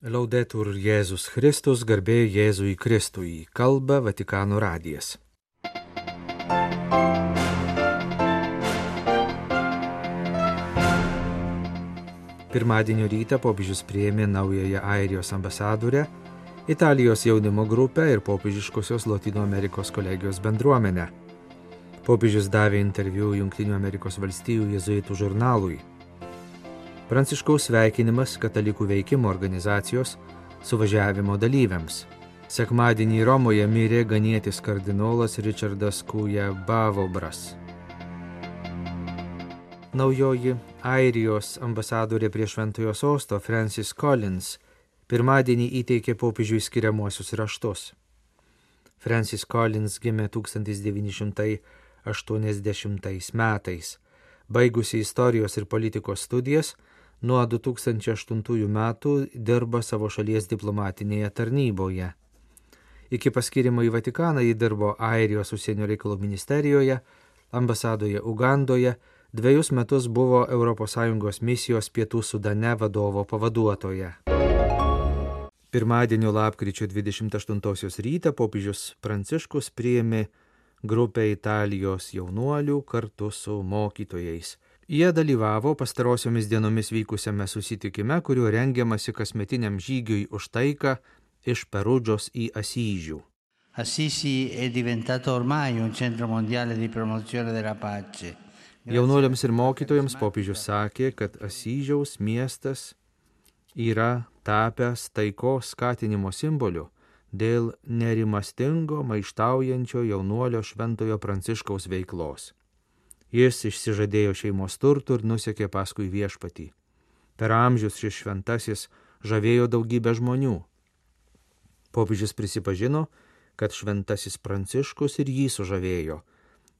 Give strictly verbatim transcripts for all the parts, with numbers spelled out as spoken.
Laudetur Jėzus Kristus, garbė Jėzui Kristui, kalba Vatikano radijas. Pirmadienio rytą popiežius priėmė naująją Airijos ambasadorę, Italijos jaunimo grupę ir popiežiškosios Lotynų Amerikos kolegijos bendruomenę. Popiežius davė interviu Jungtinių Amerikos valstijų jėzuitų žurnalui. Pranciškaus sveikinimas katalikų veikimo organizacijos suvažiavimo dalyviams. Sekmadienį Romoje mirė ganietis kardinolas Richardas Kuja-Bavobras. Naujoji Airijos ambasadorė prie Šventojo Sosto Francis Collins pirmadienį įteikė popiežiui skiriamuosius raštus. Francis Collins gimė tūkstantis devyni šimtai aštuoniasdešimtais metais. Baigusi istorijos ir politikos studijas, nuo du tūkstančiai aštuntųjų metų dirba savo šalies diplomatinėje tarnyboje. Iki paskirimo į Vatikaną ji dirbo Airijos užsienio reikalų ministerijoje, ambasadoje Ugandoje, dviejus metus buvo Europos Sąjungos misijos Pietų Sudane vadovo pavaduotoja. Pirmadienio lapkričio dvidešimt aštuntosios rytą popiežius Pranciškus priėmė grupę Italijos jaunuolių kartu su mokytojais. Jie dalyvavo pastarosiomis dienomis vykusiame susitikime, kuriuo rengiamasi kasmetiniam žygiui už taiką iš Perudžos į Asyžių. Assisi è diventato ormai un centro mondiale di promozione della pace. Jaunuoliams ir mokytojams popiežius sakė, kad Asyžiaus miestas yra tapęs taikos skatinimo simboliu dėl nerimastingo, maištaujančio jaunuolio Šventojo Pranciškaus veiklos. Jis išsižadėjo šeimos turtų ir nusekė paskui viešpatį. Per amžius šis šventasis žavėjo daugybę žmonių. Popiežius prisipažino, kad šventasis Pranciškus ir jį sužavėjo.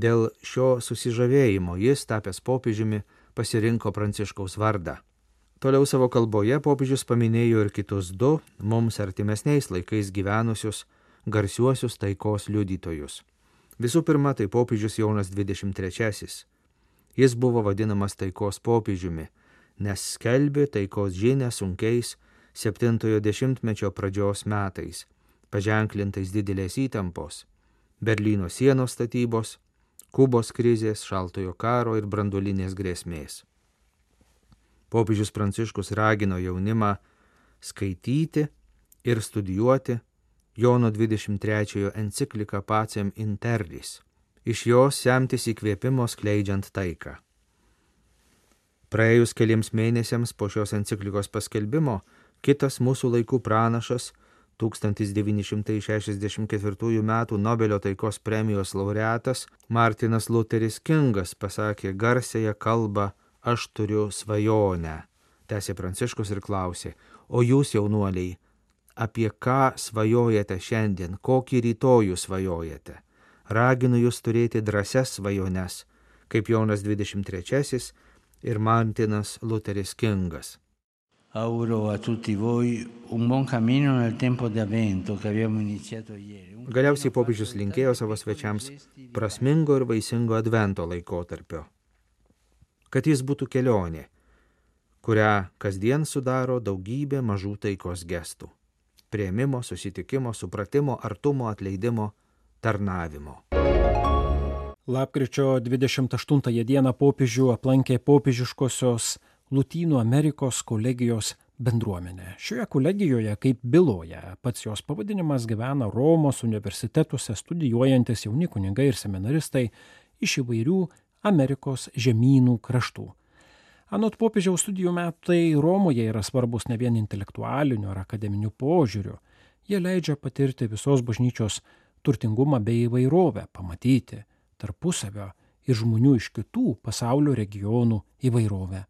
Dėl šio susižavėjimo jis, tapęs popiežiumi, pasirinko Pranciškaus vardą. Toliau savo kalboje popiežius paminėjo ir kitus du, mums artimesniais laikais gyvenusius, garsiuosius taikos liudytojus. Visų pirma, tai popiežius Jonas dvidešimt trečiasis. Jis buvo vadinamas taikos popiežiumi, nes skelbė taikos žinią sunkiais septintojo dešimtmečio pradžios metais, paženklintais didelės įtampos, Berlyno sienos statybos, Kubos krizės, šaltojo karo ir branduolinės grėsmės. Popiežius Pranciškus ragino jaunimą skaityti ir studijuoti Jono dvidešimt trečiojo encikliką Pacem in Terris, iš jos semtis įkvėpimo skleidžiant taiką. Praėjus keliems mėnesiams po šios enciklikos paskelbimo, kitas mūsų laikų pranašas, tūkstantis devyni šimtai šešiasdešimt ketvirtųjų metų Nobelio taikos premijos laureatas Martinas Luteris Kingas pasakė garsiąją kalbą "Aš turiu svajonę", tęsė Pranciškus ir klausė, o jūs, jaunuoliai, apie ką svajojate šiandien, kokį rytojų svajojate? Raginu jūs turėti drąsias svajones, kaip Jonas dvidešimt trečiasis ir Martinas Luteris Kingas. Auguro a tutti voi un buon cammino nel tempo di avvento che abbiamo iniziato ieri. Galiausiai popiežius linkėjo savo svečiams prasmingo ir vaisingo advento laikotarpio. Kad jis būtų kelionė, kurią kasdien sudaro daugybė mažų taikos gestų. Priėmimo, susitikimo, supratimo, artumo, atleidimo, tarnavimo. Lapkričio dvidešimt aštuntąją dieną popiežių aplankė popiežiškosios Lotynų Amerikos kolegijos bendruomenė. Šioje kolegijoje, kaip byloja pats jos pavadinimas, gyvena Romos universitetuose studijuojantis jauni kunigai ir seminaristai iš įvairių Amerikos žemynų kraštų. Anot popiežiaus studijų metai Romoje yra svarbus ne vien intelektualiniu ar akademiniu požiūriu. Jie leidžia patirti visos bažnyčios turtingumą bei įvairovę, pamatyti tarpusavio ir žmonių iš kitų pasaulio regionų įvairovę.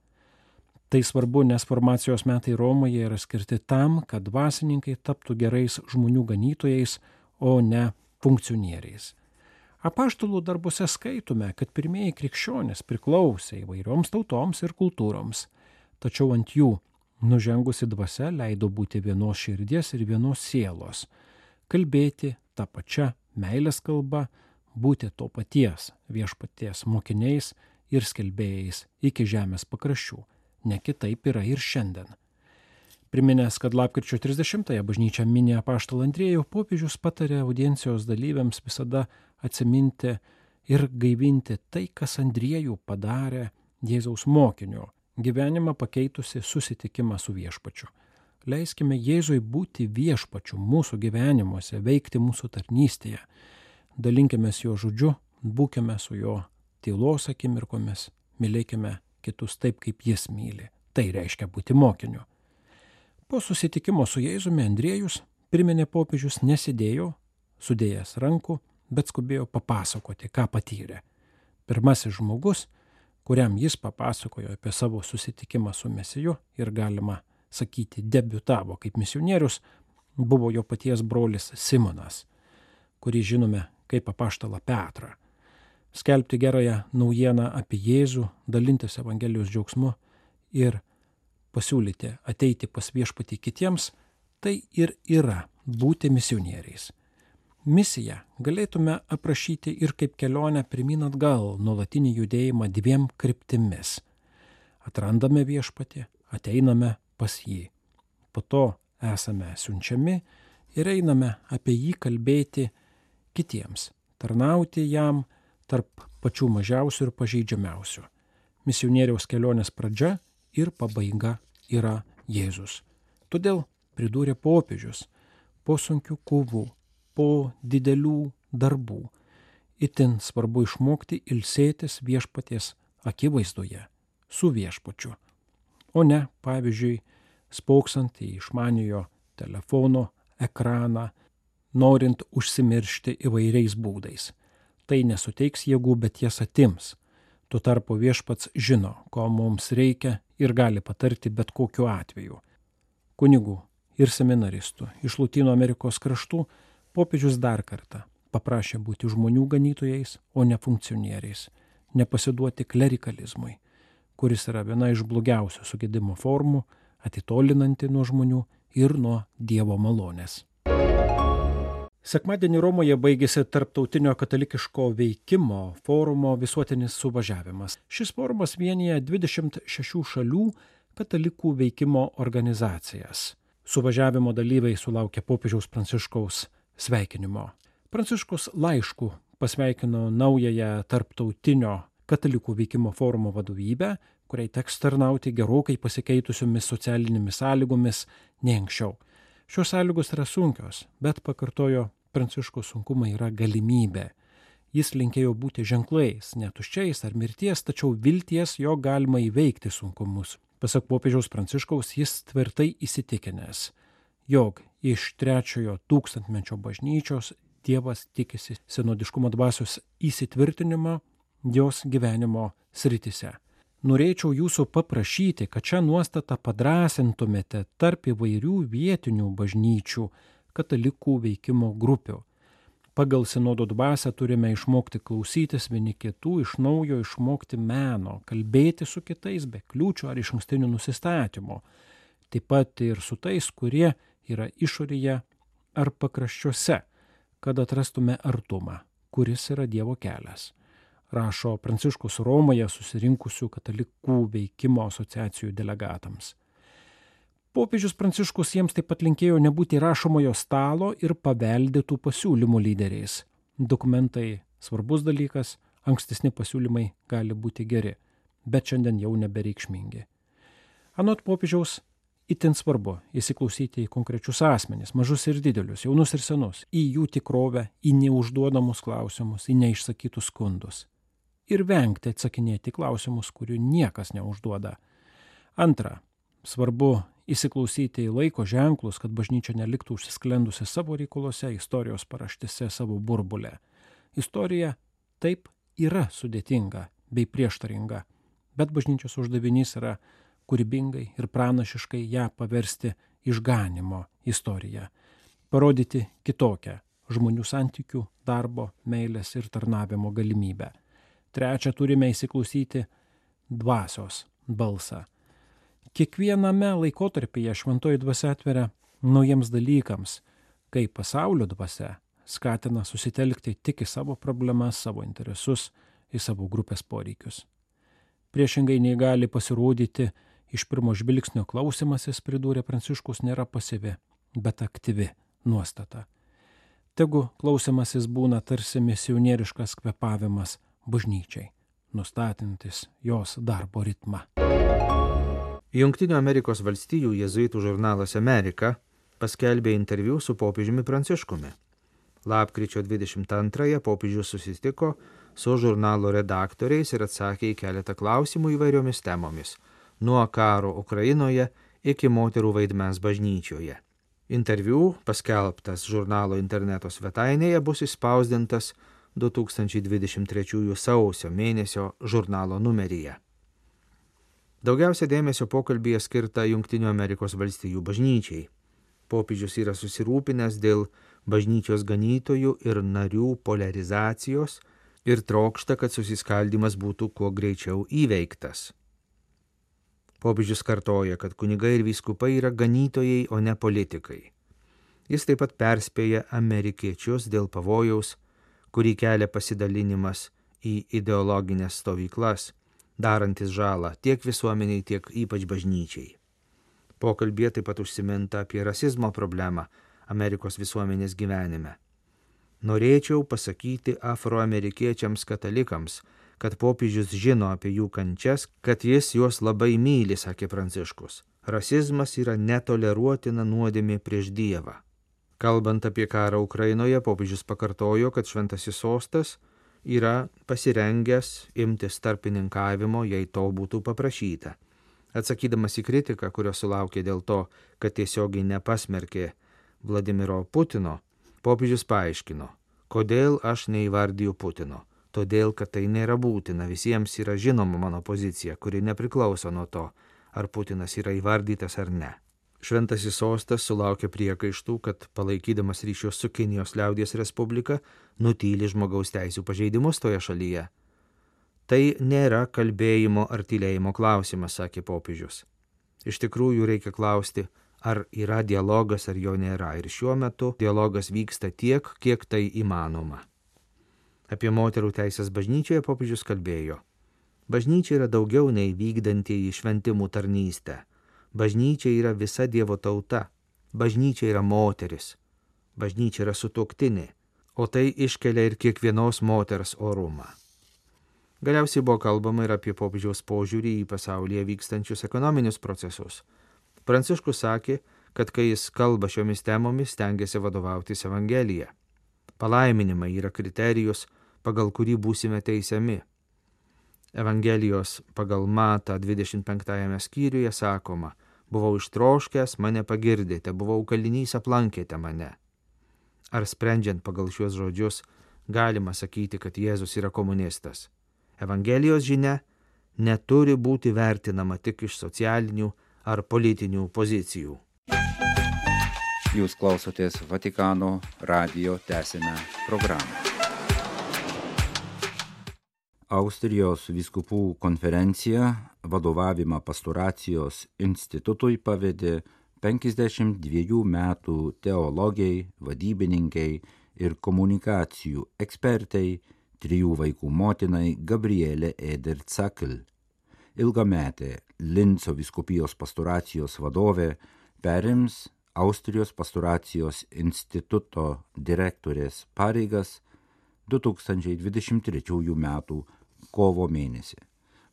Tai svarbu, nes formacijos metai Romoje yra skirti tam, kad dvasininkai taptų gerais žmonių ganytojais, o ne funkcionieriais. Apaštalų darbuose skaitome, kad pirmieji krikščionys priklausė įvairioms tautoms ir kultūroms, tačiau ant jų nužengusi dvasia leido būti vienos širdies ir vienos sielos, kalbėti tą pačią meilės kalbą, būti to paties viešpaties mokiniais ir skelbėjais iki žemės pakraščių. Ne kitaip yra ir šiandien. Priminęs, kad lapkričio trisdešimtąją bažnyčia mini apaštalą Andriejų, popiežius patarė audiencijos dalyviams visada atsiminti ir gaivinti tai, kas Andriejų padarė Jėzaus mokiniu, gyvenimą pakeitusi susitikimą su viešpačiu. Leiskime Jėzui būti viešpačiu mūsų gyvenimuose, veikti mūsų tarnystėje. Dalinkimės jo žodžiu, būkime su jo tylos akimirkomis, mylėkime kitus taip, kaip jis myli. Tai reiškia būti mokiniu. Po susitikimo su Jėzumi Andriejus, priminė popiežius, nesidėjo, sudėjęs rankų, bet skubėjo papasakoti, ką patyrė. Pirmasis žmogus, kuriam jis papasakojo apie savo susitikimą su Mesiju ir galima sakyti debiutavo kaip misionierius, buvo jo paties brolis Simonas, kurį žinome kaip apaštalą Petrą. Skelbti gerąją naujieną apie Jėzų, dalintis Evangelijos džiaugsmu ir pasiūlyti ateiti pas viešpatį kitiems, tai ir yra būti misionieriais. Misiją galėtume aprašyti ir kaip kelionę pirmyn atgal, nuolatinį judėjimą dviem kryptimis. Atrandame viešpatį, ateiname pas jį. Po to esame siunčiami ir einame apie jį kalbėti kitiems, tarnauti jam tarp pačių mažiausių ir pažeidžiamiausių. Misionieriaus kelionės pradžia ir pabaiga yra Jėzus. Todėl, pridūrė popiežius, po sunkių kovų, po didelių darbų, itin svarbu išmokti ilsėtis viešpaties akivaizdoje su viešpačiu, o ne, pavyzdžiui, spoksant į išmaniojo telefono ekraną, norint užsimiršti įvairiais būdais. Tai nesuteiks jėgų, bet jas atims. Tuo tarpu viešpats žino, ko mums reikia ir gali patarti bet kokiu atveju. Kunigų ir seminaristų iš Lotynų Amerikos kraštų popiežius dar kartą paprašė būti žmonių ganytojais, o ne funkcionieriais, nepasiduoti klerikalizmui, kuris yra viena iš blogiausių sugedimo formų, atitolinanti nuo žmonių ir nuo Dievo malonės. Sekmadienį Romoje baigėsi Tarptautinio katalikiško veikimo forumo visuotinis suvažiavimas. Šis forumas vienija dvidešimt šešių šalių katalikų veikimo organizacijas. Suvažiavimo dalyviai sulaukė popiežiaus Pranciškaus sveikinimo. Pranciškus laišku pasveikino naująją Tarptautinio katalikų veikimo forumo vadovybę, kuriai teks tarnauti gerokai pasikeitusiomis socialinėmis sąlygomis nei anksčiau. Šios sąlygos yra sunkios, bet pakartojo Pranciškaus sunkumai yra galimybė. Jis linkėjo būti ženklais, ne tuščiais ar mirties, tačiau vilties, jo galima įveikti sunkumus. Pasak popiežiaus Pranciškaus, jis tvirtai įsitikinęs, jog iš trečiojo tūkstantmečio bažnyčios Dievas tikisi sinodiškumo dvasios įsitvirtinimo jos gyvenimo sritise. Norėčiau jūsų paprašyti, kad šią nuostatą padrąsintumėte tarp įvairių vietinių bažnyčių katalikų veikimo grupių. Pagal sinodo dvasią turime išmokti klausytis vieni kitų, iš naujo išmokti meno, kalbėti su kitais be kliūčių ar išankstinių nusistatymų. Taip pat ir su tais, kurie yra išorėje ar pakraščiuose, kad atrastume artumą, kuris yra Dievo kelias. Rašo Pranciškus Romoje susirinkusių katalikų veikimo asociacijų delegatams. Popiežius Pranciškus jiems taip pat linkėjo nebūti rašomojo stalo ir paveldėtų pasiūlymų lyderiais. Dokumentai svarbus dalykas, ankstesni pasiūlymai gali būti geri, bet šiandien jau nebereikšmingi. Anot popiežiaus, itin svarbu įsiklausyti į konkrečius asmenis, mažus ir didelius, jaunus ir senus, į jų tikrovę, į neužduodamus klausimus, į neišsakytus skundus. Ir vengti atsakinėti klausimus, kurių niekas neužduoda. Antra, svarbu įsiklausyti į laiko ženklus, kad bažnyčia neliktų užsisklendusi savo reikalose, istorijos paraštėse, savo burbulę. Istorija taip yra sudėtinga bei prieštaringa, bet bažnyčios uždavinys yra kūrybingai ir pranašiškai ją paversti išganimo istoriją, parodyti kitokią žmonių santykių, darbo, meilės ir tarnavimo galimybę. Trečia, turime įsiklausyti dvasios balsą. Kiekviename laikotarpyje šventoji dvasia atveria naujiems dalykams, kai pasaulio dvasia skatina susitelkti tik į savo problemas, savo interesus, į savo grupės poreikius. Priešingai nei gali pasirodyti, Iš pirmo žvilgsnio klausimasis, pridūrė Pranciškus, nėra pasyvi, bet aktyvi nuostata. Tegu klausimasis būna tarsi misionieriškas kvėpavimas bažnyčiai, nustatantis jos darbo ritmą. Jungtinių Amerikos valstijų jėzuitų žurnalas Amerika paskelbė interviu su popiežiumi Pranciškumi. Lapkričio dvidešimt antrąją popiežius susitiko su žurnalo redaktoriais ir atsakė į keletą klausimų įvairiomis temomis, nuo karo Ukrainoje iki moterų vaidmens bažnyčioje. Interviu, paskelbtas žurnalo interneto svetainėje, bus išspausdintas du tūkstančiai dvidešimt trečiųjų sausio mėnesio žurnalo numeryje. Daugiausia dėmesio pokalbyje skirta Jungtinių Amerikos valstijų bažnyčiai. Popiežius yra susirūpinęs dėl bažnyčios ganytojų ir narių polarizacijos ir trokšta, kad susiskaldimas būtų kuo greičiau įveiktas. Popiežius kartoja, kad kunigai ir vyskupai yra ganytojai, o ne politikai. Jis taip pat perspėja amerikiečius dėl pavojaus, kurį kelia pasidalinimas į ideologinės stovyklas, darantis žalą tiek visuomeniai, tiek ypač bažnyčiai. Pokalbėje taip pat užsiminta apie rasizmo problemą Amerikos visuomenės gyvenime. Norėčiau pasakyti afroamerikiečiams katalikams, kad popiežius žino apie jų kančias, kad jis juos labai myli, sakė Pranciškus. Rasizmas yra netoleruotina nuodėmė prieš Dievą. Kalbant apie karą Ukrainoje, popiežius pakartojo, kad šventasis sostas yra pasirengęs imtis tarpininkavimo, jei to būtų paprašyta. Atsakydamas į kritiką, kurios sulaukė dėl to, kad tiesiogiai nepasmerkė Vladimiro Putino, popiežius paaiškino, kodėl aš neįvardiju Putino. Todėl, kad tai nėra būtina, visiems yra žinoma mano pozicija, kuri nepriklauso nuo to, ar Putinas yra įvardytas ar ne. Šventasis sostas sulaukė priekaištų, kad palaikydamas ryšius su Kinijos liaudies respublika nutyli žmogaus teisių pažeidimus toje šalyje. Tai nėra kalbėjimo ar tylėjimo klausimas, sakė popiežius. Iš tikrųjų reikia klausti, ar yra dialogas ar jo nėra, ir šiuo metu dialogas vyksta tiek, kiek tai įmanoma. Apie moterų teisės bažnyčioje popiežius kalbėjo. Bažnyčia yra daugiau nei vykdantieji šventimų tarnystę. Bažnyčia yra visa Dievo tauta. Bažnyčia yra moteris. Bažnyčia yra sutuoktinė, o tai iškelia ir kiekvienos moters orumą. Galiausiai buvo kalbama ir apie popiežiaus požiūrį į pasaulyje vykstančius ekonominius procesus. Pranciškus sakė, kad kai jis kalba šiomis temomis, stengiasi vadovautis Evangelija. Palaiminimai yra kriterijus, pagal kurį būsime teisiami. Evangelijos pagal Matą dvidešimt penktajame skyriuje sakoma, buvau ištroškęs, mane pagirdėte, buvau kalinys, aplankėte mane. Ar sprendžiant pagal šiuos žodžius, galima sakyti, kad Jėzus yra komunistas? Evangelijos žinia neturi būti vertinama tik iš socialinių ar politinių pozicijų. Jūs klausotės Vatikano radijo tęsinę programą. Austrijos vyskupų konferencija vadovavimą pastoracijos institutui pavedė penkiasdešimt dviejų metų teologei, vadybininkei ir komunikacijų ekspertei, trijų vaikų motinai Gabrielė Eder-Zakl. Ilgametė Linco vyskupijos pastoracijos vadovė perims Austrijos pastoracijos instituto direktorės pareigas du tūkstančiai dvidešimt trečiųjų metų kovo mėnesį.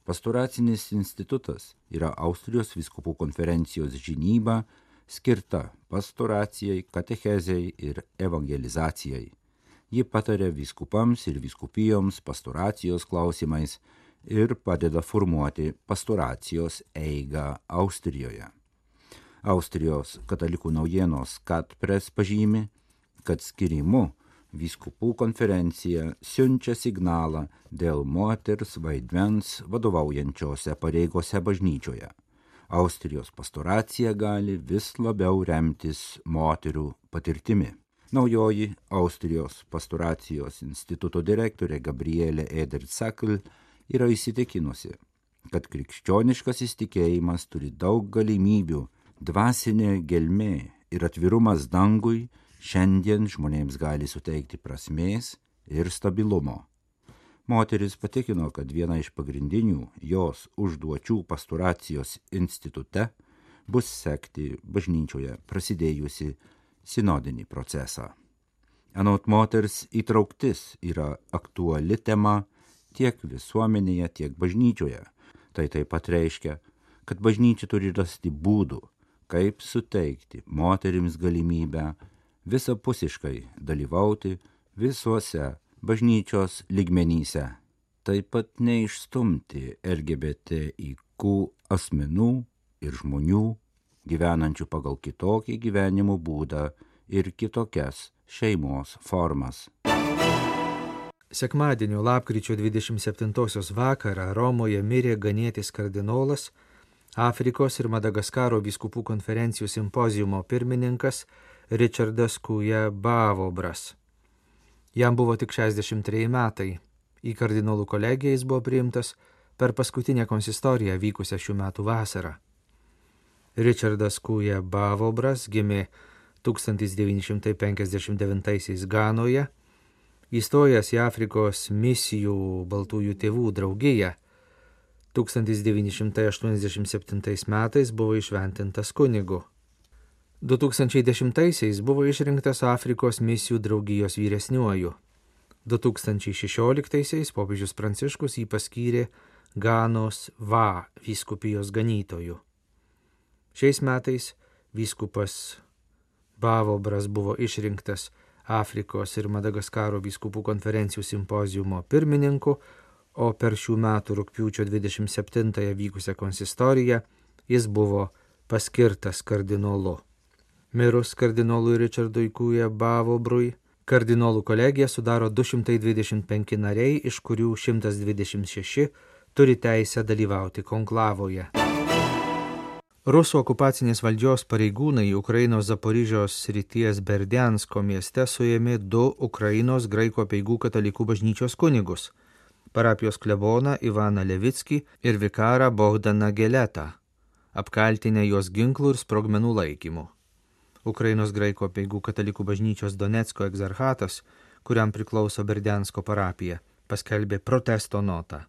Pastoracinis institutas yra Austrijos vyskupų konferencijos žinyba skirta pastoracijai, katechezei ir evangelizacijai. Ji pataria vyskupams ir vyskupijoms pastoracijos klausimais ir padeda formuoti pastoracijos eigą Austrijoje. Austrijos katalikų naujienos Katpres pažymi, kad skirimu vyskupų konferencija siunčia signalą dėl moters vaidmens vadovaujančiose pareigose bažnyčioje. Austrijos pastoracija gali vis labiau remtis moterų patirtimi. Naujoji Austrijos pastoracijos instituto direktorė Gabrielė Eder-Zakl yra įsitikinusi, kad krikščioniškas įsitikėjimas turi daug galimybių, dvasinė gelmė ir atvirumas dangui šiandien žmonėms gali suteikti prasmės ir stabilumo. Moteris patikino, kad viena iš pagrindinių jos užduočių pastoracijos institute bus sekti bažnyčioje prasidėjusi sinodinį procesą. Anot moters įtrauktis yra aktuali tema tiek visuomenėje, tiek bažnyčioje. Tai taip pat reiškia, kad bažnyčia turi rasti būdų, kaip suteikti moterims galimybę visapusiškai dalyvauti visuose bažnyčios lygmenyse. Taip pat neišstumti L G B T I Q asmenų ir žmonių gyvenančių pagal kitokį gyvenimo būdą ir kitokias šeimos formas. Sekmadienio lapkričio dvidešimt septintosios vakarą Romoje mirė ganėtis kardinolas, Afrikos ir Madagaskaro vyskupų konferencijų simpoziumo pirmininkas Richardas Kuja Bavobras. Jam buvo tik šešiasdešimt treji metai. Į kardinolų kolegiją jis buvo priimtas per paskutinę konsistoriją vykusią šių metų vasarą. Richardas Kuja Bavobras gimė tūkstantis devyni šimtai penkiasdešimt devintaisiais Ganoje, įstojęs į Afrikos misijų baltųjų tėvų draugiją. tūkstantis devyni šimtai aštuoniasdešimt septintais metais buvo išventintas kunigu. du tūkstančiai dešimtaisiais buvo išrinktas Afrikos misijų draugijos vyresniuoju. du tūkstančiai šešioliktaisiais popiežius Pranciškus jį paskyrė Ganos Va vyskupijos ganytoju. Šiais metais vyskupas Bavobras buvo išrinktas Afrikos ir Madagaskaro vyskupų konferencijų simpoziumo pirmininku, o per šių metų rugpjūčio dvidešimt septintąją vykusią konsistoriją jis buvo paskirtas kardinolu. Mirus kardinolui Richardui Kuja Bavobrui, kardinolų kolegija sudaro du šimtai dvidešimt penki nariai, iš kurių šimtas dvidešimt šeši turi teisę dalyvauti konklavoje. Rusų okupacinės valdžios pareigūnai Ukrainos Zaporižios srities Berdiansko mieste suėmė du Ukrainos graikų apeigų katalikų bažnyčios kunigus – parapijos kleboną Ivaną Levickį ir vikarą Bogdaną Geletą, apkaltinę juos ginklų ir sprogmenų laikymu. Ukrainos graikų apeigų katalikų bažnyčios Donecko egzarchatas, kuriam priklauso Berdiansko parapija, paskelbė protesto notą.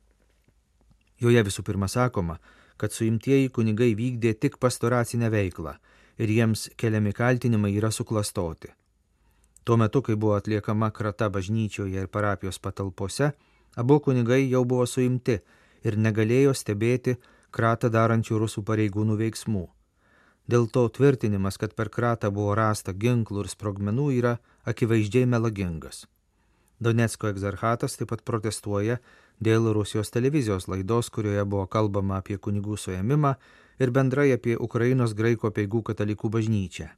Joje visų pirma sakoma, kad suimtieji kunigai vykdė tik pastoracinę veiklą ir jiems keliami kaltinimai yra suklastoti. Tuo metu, kai buvo atliekama krata bažnyčioje ir parapijos patalpose, abu kunigai jau buvo suimti ir negalėjo stebėti kratą darančių rusų pareigūnų veiksmų. Dėl to tvirtinimas, kad per kratą buvo rasta ginklų ir sprogmenų, yra akivaizdžiai melagingas. Donecko egzarchatas taip pat protestuoja dėl Rusijos televizijos laidos, kurioje buvo kalbama apie kunigų suėmimą ir bendrai apie Ukrainos graikų apeigų katalikų bažnyčią.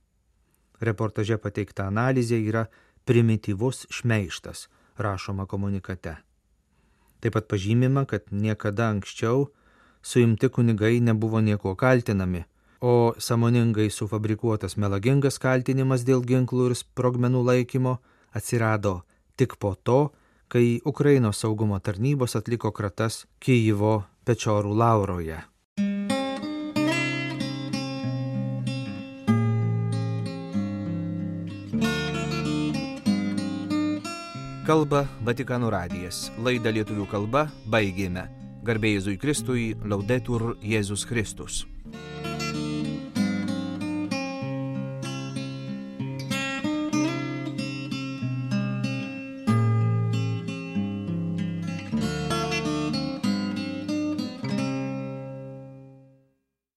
Reportaže pateikta analizė yra primityvus šmeižtas, rašoma komunikate. Taip pat pažymima, kad niekada anksčiau suimti kunigai nebuvo nieko kaltinami, o sąmoningai sufabrikuotas melagingas kaltinimas dėl ginklų ir sprogmenų laikymo atsirado tik po to, kai Ukrainos saugumo tarnybos atliko kratas Kijivo Pečorų Lauroje. Kalba Vatikano radijas. Laidą lietuvių kalba baigėme. Garbė Jėzui Kristui, Laudetur Jėzus Kristus.